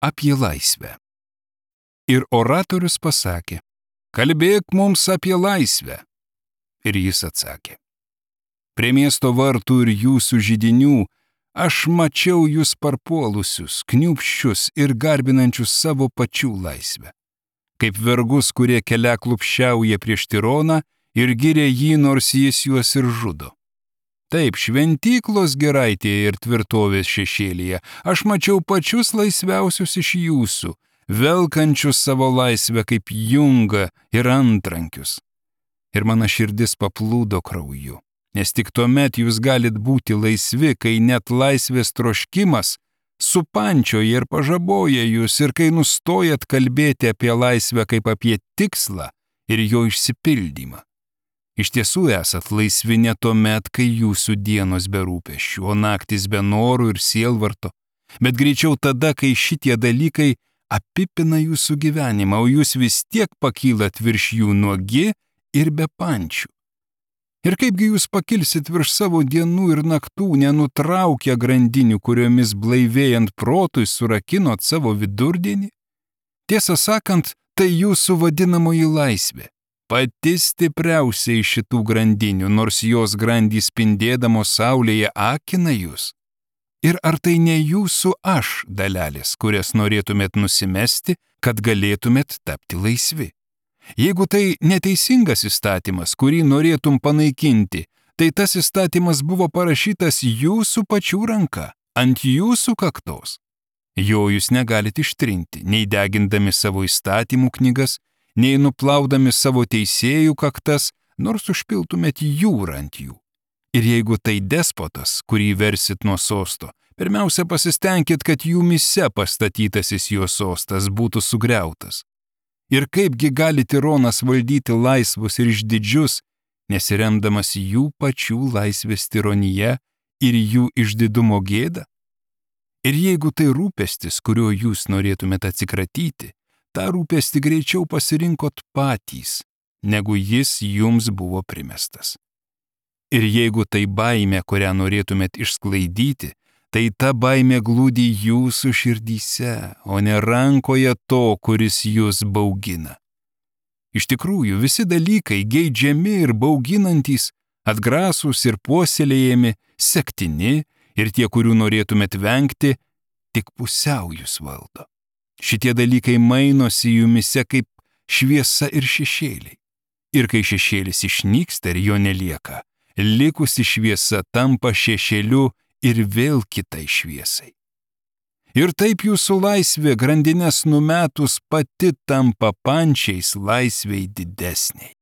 apie laisvę. Ir oratorius pasakė, kalbėk mums apie laisvę. Ir jis atsakė, prie miesto vartų ir jūsų židinių aš mačiau jūs parpuolusius, kniūpsčius ir garbinančius savo pačių laisvę. Kaip vergus, kurie kelią klupščiauja prieš tironą ir giria jį, nors jis juos ir žudo. Taip, šventyklos giraitėje ir tvirtovės šešėlyje aš mačiau pačius laisviausius iš jūsų, velkančius savo laisvę kaip jungą ir antrankius. Ir mano širdis paplūdo krauju, nes tik tuomet jūs galit būti laisvi, kai net laisvės troškimas supančioja ir pažaboja jūs, ir kai nustojat kalbėti apie laisvę kaip apie tikslą ir jo išsipildymą. Iš tiesų esat laisvi ne tuomet, kai jūsų dienos be rūpesčių, o naktis be norų ir sielvarto, bet greičiau tada, kai šitie dalykai apipina jūsų gyvenimą, o jūs vis tiek pakylat virš jų nuogi ir be pančių. Ir kaipgi jūs pakilsit virš savo dienų ir naktų, nenutraukę grandinių, kuriomis blaivėjant protui surakinot savo vidurdienį? Tiesą sakant, tai jūsų vadinamoji laisvė. Pati stipriausia iš šitų grandinių, nors jos grandys spindėdamos saulėje akina jūs. Ir ar tai ne jūsų aš dalelės, kurias norėtumėt nusimesti, kad galėtumėt tapti laisvi? Jeigu tai neteisingas įstatymas, kurį norėtum panaikinti, tai tas įstatymas buvo parašytas jūsų pačių ranka, ant jūsų kaktos. Jo jūs negalite ištrinti, nei degindami savo įstatymų knygas, nei nuplaudami savo teisėjų kaktas, nors užpiltumėt jūrą ant jų. Ir jeigu tai despotas, kurį versit nuo sosto, pirmiausia pasistengkit, kad jumyse pastatytasis jo sostas būtų sugriautas. Ir kaipgi gali tironas valdyti laisvus ir išdidžius, nesiremdamas jų pačių laisvės tironija ir jų išdidumo gėda? Ir jeigu tai rūpestis, kurio jūs norėtumėt atsikratyti, tą rūpestį greičiau pasirinkot patys, negu jis jums buvo primestas. Ir jeigu tai baimė, kurią norėtumėt išsklaidyti, tai ta baimė glūdi jūsų širdyse, o ne rankoje to, kuris jūs baugina. Iš tikrųjų, visi dalykai geidžiami ir bauginantys, atgrasūs ir puoselėjami, sektini ir tie, kurių norėtumėt vengti, tik pusiau jūs valdo. Šitie dalykai mainosi jumise kaip šviesa ir šešėliai. Ir kai šešėlis išnyksta ir jo nelieka, likusi šviesa tampa šešėliu ir vėl kitai šviesai. Ir taip jūsų laisvė grandines numetus pati tampa pančiais laisvei didesniai.